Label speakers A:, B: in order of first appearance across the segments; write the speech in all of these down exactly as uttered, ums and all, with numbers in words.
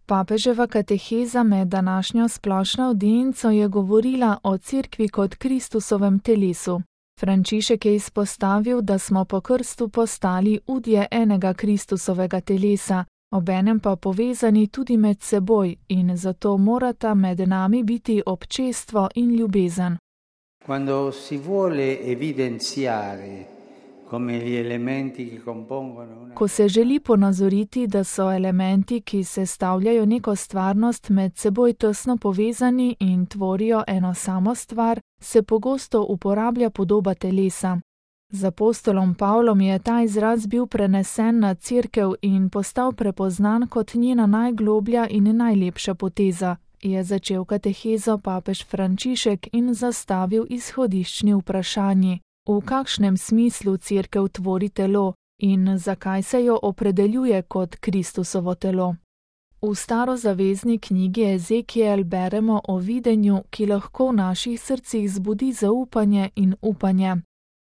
A: Papeževa kateheza med današnjo splošno avdienco je govorila o Cerkvi kot Kristusovem telesu. Frančišek je izpostavil, da smo po krstu postali udje enega Kristusovega telesa, obenem pa povezani tudi med seboj in zato morata med nami biti občestvo in ljubezen.
B: Quando si vuole evidenziare come gli elementi che compongono una...
A: Ko se želi ponazoriti, da so elementi, ki sestavljajo neko stvarnost, med seboj tesno povezani in tvorijo eno samo stvar, se pogosto uporablja podoba telesa. Z apostolom Pavlom je ta izraz bil prenesen na Cerkev in postal prepoznan kot njena najgloblja in najlepša poteza, je začel katehezo papež Frančišek in zastavil izhodiščni vprašanji. V kakšnem smislu Cerkev tvori telo in zakaj se jo opredeljuje kot Kristusovo telo? V starozavezni knjigi Ezekiel beremo o videnju, ki lahko v naših srcih zbudi zaupanje in upanje.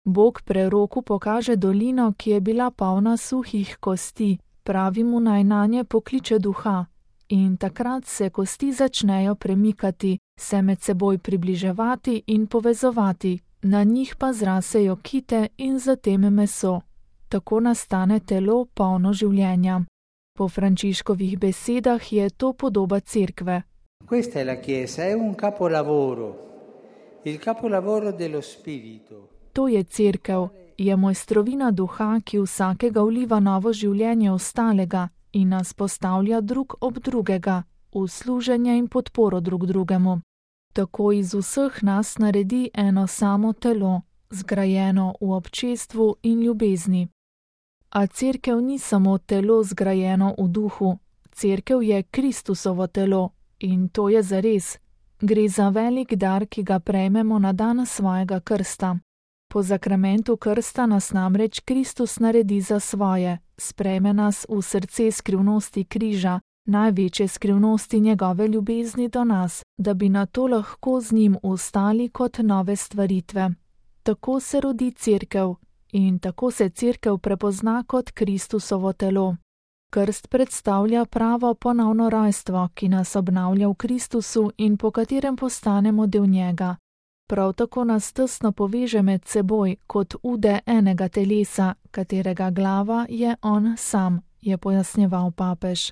A: Bog preroku pokaže dolino, ki je bila polna suhih kosti, pravi mu naj nanje pokliče duha. In takrat se kosti začnejo premikati, se med seboj približevati in povezovati, na njih pa zrasejo kite in zatem meso. Tako nastane telo polno življenja. Po Frančiškovih besedah je to podoba Cerkve.
B: Questa è la Chiesa, è un capolavoro, il capolavoro dello Spirito.
A: To je Cerkev, je mojstrovina duha, ki vsakega vliva novo življenje ostalega in nas postavlja drug ob drugega, v služenje in podporo drug drugemu. Tako iz vseh nas naredi eno samo telo, zgrajeno v občestvu in ljubezni. A Cerkev ni samo telo zgrajeno v duhu, Cerkev je Kristusovo telo in to je zares. Gre za velik dar, ki ga prejmemo na dan svojega krsta. Po zakramentu krsta nas namreč Kristus naredi za svoje, sprejme nas v srce skrivnosti križa, največje skrivnosti njegove ljubezni do nas, da bi na to lahko z njim ustali kot nove stvaritve. Tako se rodi Cerkev in tako se Cerkev prepozna kot Kristusovo telo. Krst predstavlja pravo ponovno rojstvo, ki nas obnavlja v Kristusu in po katerem postanemo del njega. Prav tako nas tesno poveže med seboj kot ude enega telesa, katerega glava je on sam, je pojasnjeval papež.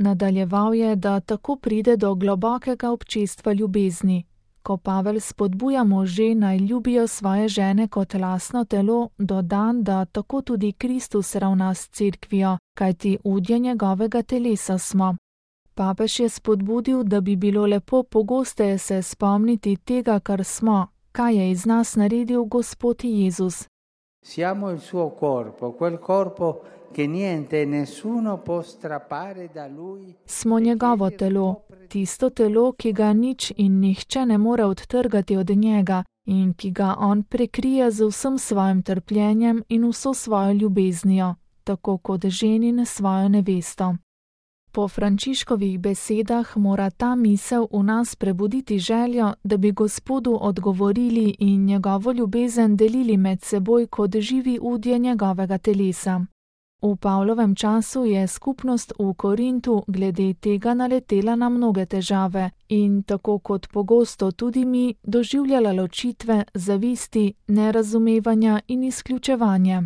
A: Nadaljeval je, da tako pride do globokega občestva ljubezni. Ko Pavel spodbuja može naj ljubijo svoje žene kot lastno telo, dodan, da tako tudi Kristus ravna s Cerkvijo, kajti udje njegovega telesa smo. Papež je spodbudil, da bi bilo lepo pogosteje se spomniti tega, kar smo, kaj je iz nas naredil Gospod Jezus.
B: Siamo il suo corpo, quel corpo che niente e nessuno può strappare da lui.
A: Smo njegovo telo, tisto telo, ki ga nič in nihče ne more odtrgati od njega in ki ga on prekrije z vsem svojim trpljenjem in vso svojo ljubeznijo, tako kot ženin svojo nevesto. Po Frančiškovih besedah mora ta misel v nas prebuditi željo, da bi Gospodu odgovorili in njegovo ljubezen delili med seboj kot živi udje njegovega telesa. V Pavlovem času je skupnost v Korintu glede tega naletela na mnoge težave in tako kot pogosto tudi mi doživljala ločitve, zavisti, nerazumevanja in izključevanje.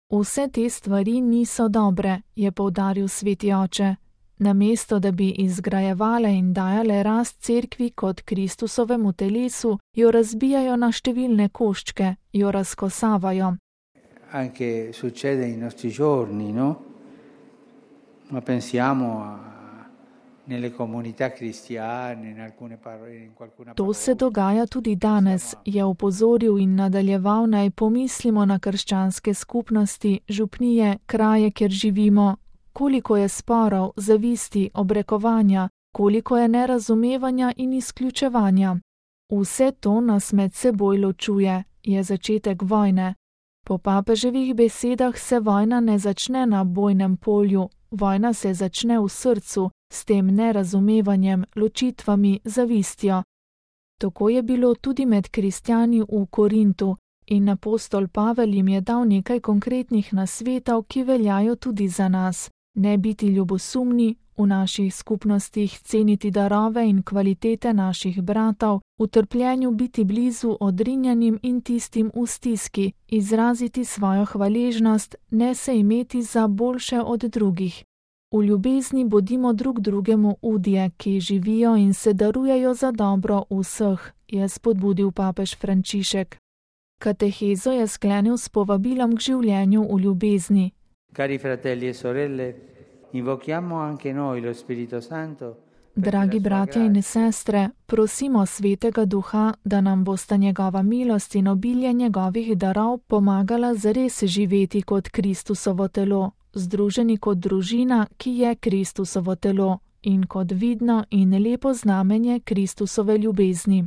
A: Vse te stvari niso dobre, je poudaril sveti oče. Namesto da bi izgrajevale in dajale rast Cerkvi kot Kristusovemu telesu, jo razbijajo na številne koščke, jo razkosavajo.
B: Anche succede nei nostri giorni, no? Ma pensiamo a nelle comunità cristiane, in alcune parole, in qualcuna
A: To se dogaja tudi danes, je opozoril in nadaljeval, naj pomislimo na krščanske skupnosti, župnije, kraje, kjer živimo. Koliko je sporov, zavisti, obrekovanja, koliko je nerazumevanja in izključevanja. Vse to nas med seboj ločuje, je začetek vojne. Po papeževih besedah se vojna ne začne na bojnem polju, vojna se začne v srcu, s tem nerazumevanjem, ločitvami, zavistjo. Tako je bilo tudi med kristjani v Korintu in apostol Pavel jim je dal nekaj konkretnih nasvetov, ki veljajo tudi za nas. Ne biti ljubosumni, v naših skupnostih ceniti darove in kvalitete naših bratov, v trpljenju biti blizu odrinjenim in tistim v stiski, izraziti svojo hvaležnost, ne se imeti za boljše od drugih. V ljubezni bodimo drug drugemu udje, ki živijo in se darujejo za dobro vseh, je spodbudil papež Frančišek. Katehezo je sklenil s povabilom k življenju v ljubezni.
B: Cari fratelli e sorelle, invochiamo anche noi lo Spirito Santo.
A: Dragi bratje in sestre, prosimo Svetega Duha, da nam bosta njegova milost in obilje njegovih darov pomagala zares živeti kot Kristusovo telo, združeni kot družina, ki je Kristusovo telo, in kot vidno in lepo znamenje Kristusove ljubezni.